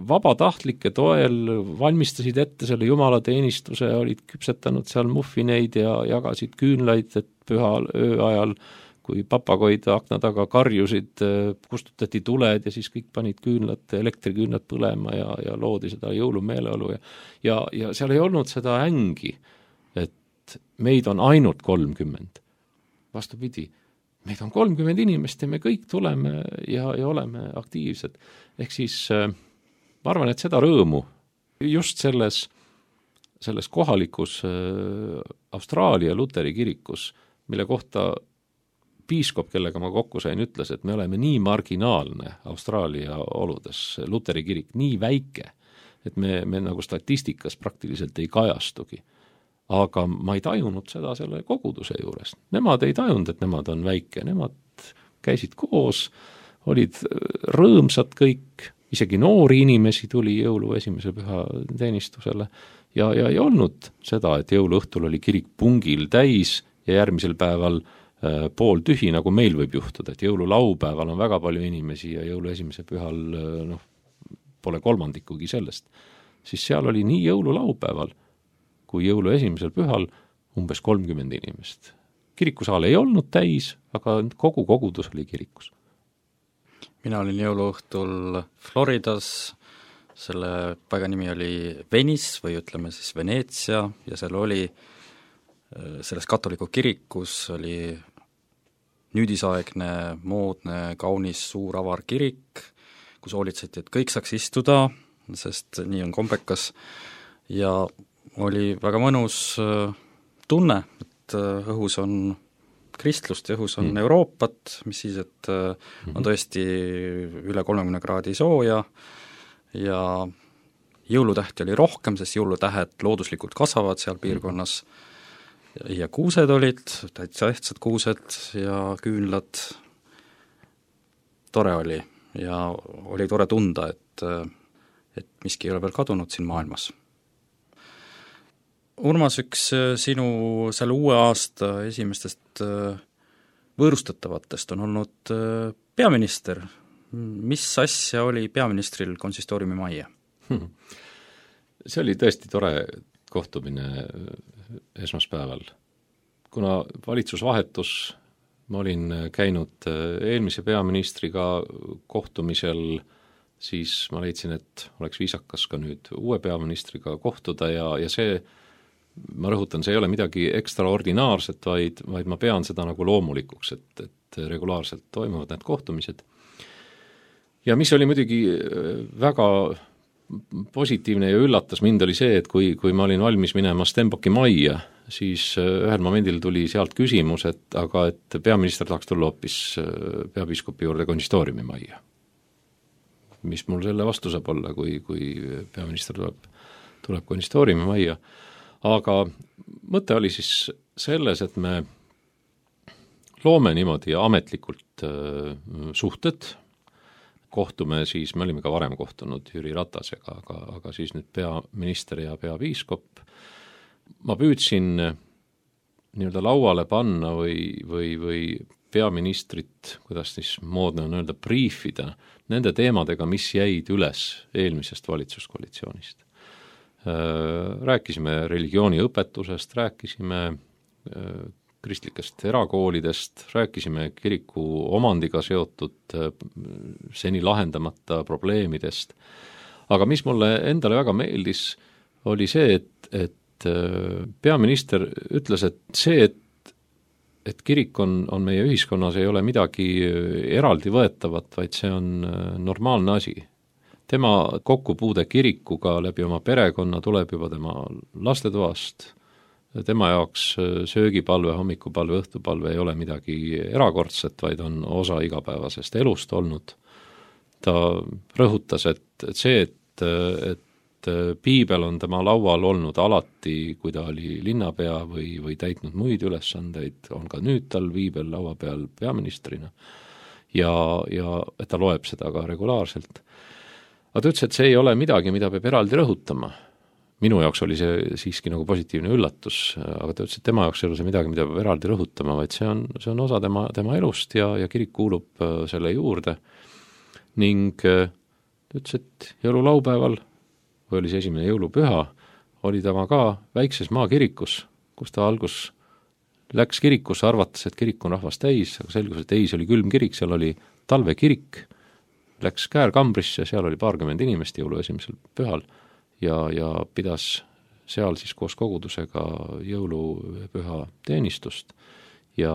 vabatahtlike toel valmistasid ette selle jumalateenistuse, olid küpsetanud seal muffineid ja jagasid küünlaid, et pühal öö ajal, kui papagoid akna taga karjusid, kustutati tuled ja siis kõik panid küünlad, elektriküünlad põlema ja, ja loodi seda jõulumeeleolu ja, ja, ja seal ei olnud seda ängi, et meid on ainult kolmkümmend. Vastupidi, meid on kolmkümmend inimest ja me kõik tuleme ja, ja oleme aktiivsed. Ehk siis ma arvan, et seda rõõmu just selles, selles kohalikus Austraalia luteri kirikus, mille kohta piiskop, kellega ma kokku sain, ütles, et me oleme nii marginaalne Austraalia oludes, luteri kirik nii väike, et me, me nagu statistikas praktiliselt ei kajastugi. Aga ma ei tajunud seda selle koguduse juures. Nemad ei tajunud, et nemad on väike, nemad käisid koos, olid rõõmsad kõik, isegi noori inimesi tuli jõulu esimese püha teenistusele ja, ja ei olnud seda, et jõuluõhtul oli kirik pungil täis ja järgmisel päeval äh, pool tühi, nagu meil võib juhtuda, et jõululaupäeval on väga palju inimesi ja jõulu esimese pühal äh, noh, pole kolmandikugi sellest. Siis seal oli nii jõululaupäeval kui jõulu esimesel pühal umbes kolmkümmend inimest. Kirikusaal ei olnud täis, aga kogu kogudus oli kirikus. Mina olin jõuluõhtul Floridas, selle paiga nimi oli Venice või ütleme siis Veneetsia ja seal oli selles katoliku kirikus oli nüüdisaegne, moodne, kaunis, suur avar kirik, kus hoolitseti, et kõik saaks istuda, sest nii on kombekas, ja oli väga mõnus tunne, et õhus on kristlust ja õhus on mm. Euroopat, mis siis, et on tõesti üle kolmekümne kraadi sooja ja jõulutähti oli rohkem, sest jõulutähed looduslikult kasvavad seal piirkonnas ja kuused olid, täitsa ehtsad kuused ja küünlad, tore oli ja oli tore tunda, et, et miski ei ole veel kadunud siin maailmas. Urmas, üks sinu selle uue aasta esimestest võõrustatavatest on olnud peaminister. Mis asja oli peaministril konsistooriumi majja? Hmm. See oli tõesti tore kohtumine esmaspäeval. Kuna valitsus vahetus, ma olin käinud eelmise peaministriga kohtumisel, siis ma leidsin, et oleks viisakas ka nüüd uue peaministriga kohtuda ja, ja see ma rõhutan, see ei ole midagi ekstraordinaarset, vaid, vaid ma pean seda nagu loomulikuks, et, et regulaarselt toimuvad need kohtumised. Ja mis oli muidugi väga positiivne ja üllatas mind oli see, et kui, kui ma olin valmis minema Stenbocki majja, siis ühel momendil tuli sealt küsimus, et aga et peaminister tahaks tulla hoopis peapiiskopi juurde konsistooriumi majja. Mis mul selle vastu saab olla, kui, kui peaminister tuleb, tuleb konsistooriumi majja. Aga mõte oli siis selles, et me loome niimoodi ametlikult suhted, kohtume siis, me olime ka varem kohtunud Jüri Ratasega, aga, aga siis nüüd peaminister ja peapiiskop. Ma püüdsin nii-öelda lauale panna või, või, või peaministrit, kuidas siis moodne on öelda, briifida nende teemadega, mis jäid üles eelmisest valitsuskoalitsioonist. Rääkisime religiooniõpetusest, rääkisime kristlikest erakoolidest, rääkisime kiriku omandiga seotud seni lahendamata probleemidest. Aga mis mulle endale väga meeldis, oli see, et, et peaminister ütles, et see, et, et kirik on, on meie ühiskonnas, ei ole midagi eraldi võetavat, vaid see on normaalne asi. Tema kokkupuude kirikuga läbi oma perekonna tuleb juba tema lastetoast. Tema jaoks söögipalve, hommikupalve, õhtupalve ei ole midagi erakordset, vaid on osa igapäevasest elust olnud. Ta rõhutas, et, et see, et, et piibel on tema laual olnud alati, kui ta oli linnapea või, või täitnud muid ülesandeid, on ka nüüd tal piibel laua peal peaministrina ja, ja et ta loeb seda ka regulaarselt. Aga ta ütles, et see ei ole midagi, mida peab eraldi rõhutama. Minu jaoks oli see siiski nagu positiivne üllatus, aga ta ütles, et tema jaoks ei ole see midagi, mida peab eraldi rõhutama, vaid see on, see on osa tema, tema elust ja, ja kirik kuulub selle juurde. Ning ta ütles, et jõululaupäeval, või oli see esimene jõulupüha, oli ta ka väikses maakirikus, kus ta algus läks kirikusse, arvates, et kirik on rahvast täis, aga selgus, et ei, see oli külm kirik, seal oli talvekirik, läks Käärkambrisse, seal oli paarkümmend inimest jõulu esimesel pühal ja, ja pidas seal siis koos kogudusega jõulupüha teenistust ja,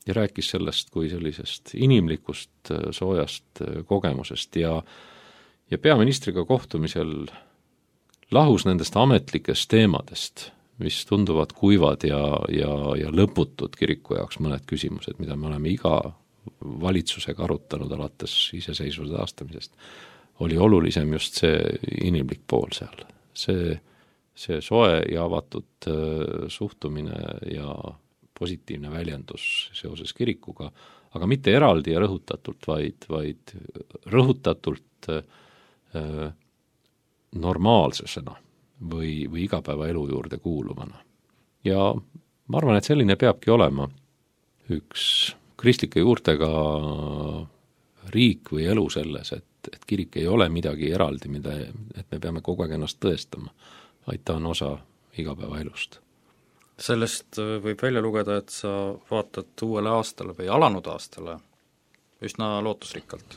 ja rääkis sellest kui sellisest inimlikust soojast kogemusest ja, ja peaministriga kohtumisel lahus nendest ametlikest teemadest, mis tunduvad kuivad ja, ja, ja lõputud kiriku jaoks mõned küsimused, mida me oleme iga valitsusega arutanud alates iseseisvuse taastamisest, oli olulisem just see inimlik pool seal. See, see soe ja avatud suhtumine ja positiivne väljendus seoses kirikuga, aga mitte eraldi ja rõhutatult, vaid, vaid rõhutatult äh, normaalsesena või, või igapäevaelu juurde kuuluvana. Ja ma arvan, et selline peabki olema üks kristlike juurtega riik või elu selles, et, et kirik ei ole midagi eraldi, mida, et me peame kogu aeg ennast tõestama, vaid ta on osa igapäevaelust. Sellest võib välja lugeda, et sa vaatad uuele aastale või alanud aastale üsna lootusrikkalt.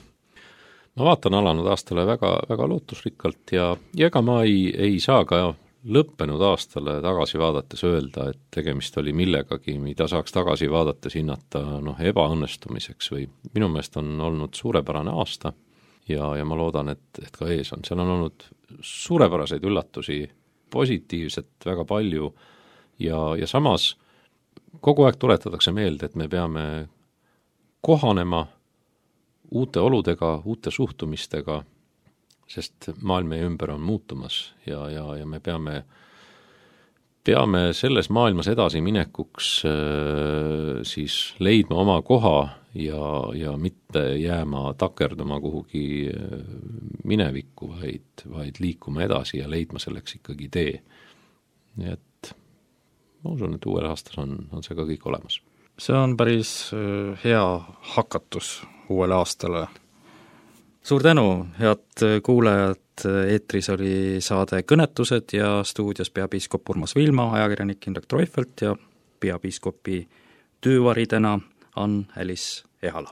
Ma vaatan alanud aastale väga, väga lootusrikkalt ja, ja ega ma ei, ei saa ka lõppenud aastale tagasi vaadates öelda, et tegemist oli millegagi, mida saaks tagasi vaadates hinnata noh, ebaõnnestumiseks või minu meelest on olnud suurepärane aasta ja, ja ma loodan, et, et ka ees on. Seal on olnud suurepäraseid üllatusi, positiivset väga palju ja, ja samas kogu aeg tuletatakse meelde, et me peame kohanema uute oludega, uute suhtumistega, sest maailm meie ümber on muutumas ja, ja, ja me peame peame selles maailmas edasi minekuks äh, siis leidma oma koha ja, ja mitte jääma takerduma kuhugi minevikku, vaid, vaid liikuma edasi ja leidma selleks ikkagi tee. Nii et ma usun, et uuel aastas on, on see ka kõik olemas. See on päris hea hakatus uuele aastale. Suur tänu, head kuulajad, eetris oli saade Kõnetused ja stuudios peapiiskop Urmas Vilma, ajakirjanik Indrek Treufelt ja peapiiskopi töövaridena Ann-Alice Ehala.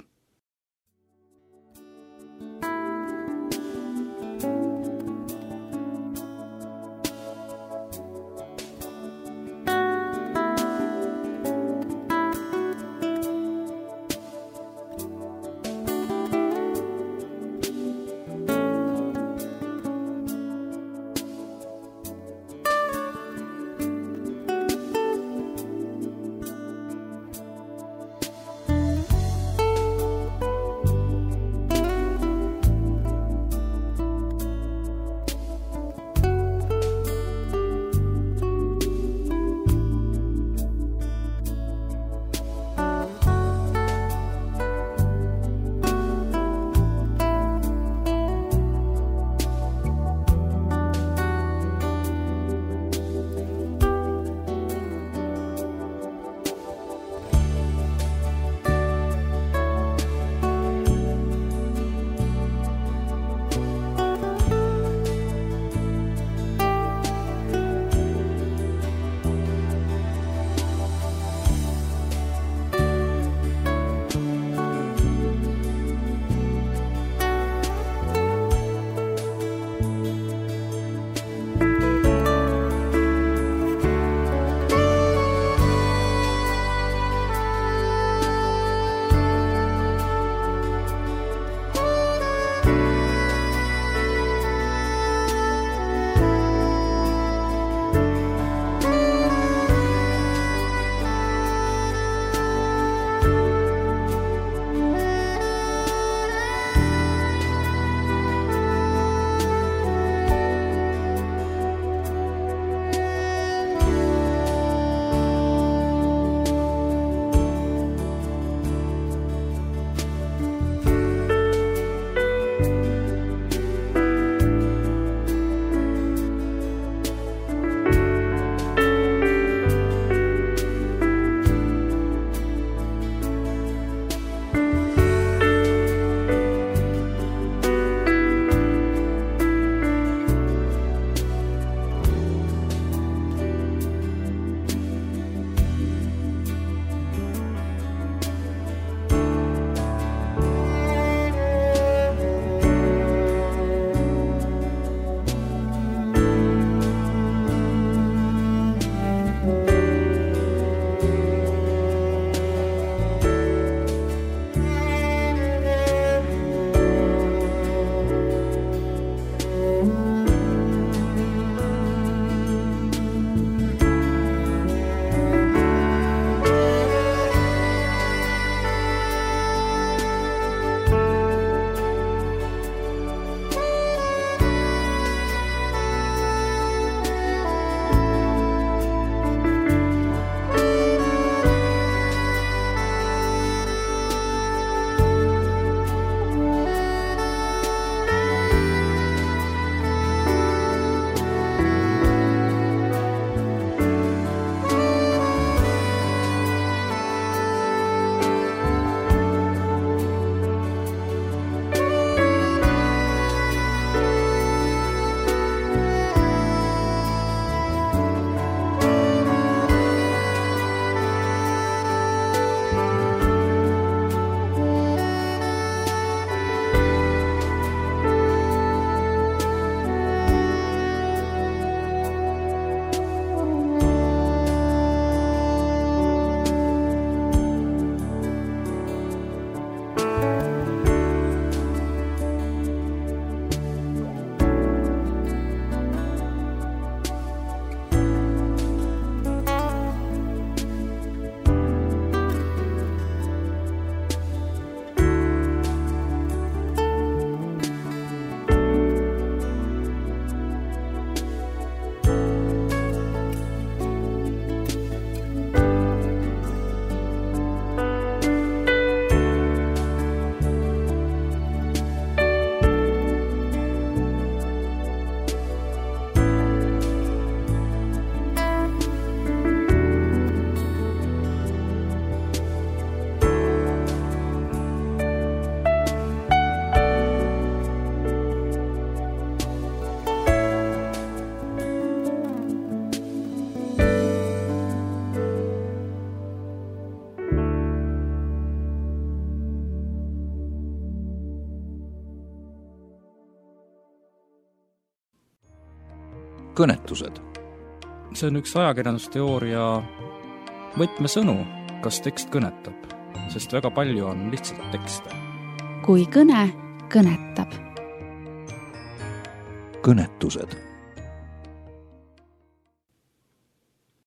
kõnetused. see on üks ajakirjandusteooria võtmesõnu, kas tekst kõnetab, sest väga palju on lihtsalt tekste. kui kõne kõnetab. kõnetused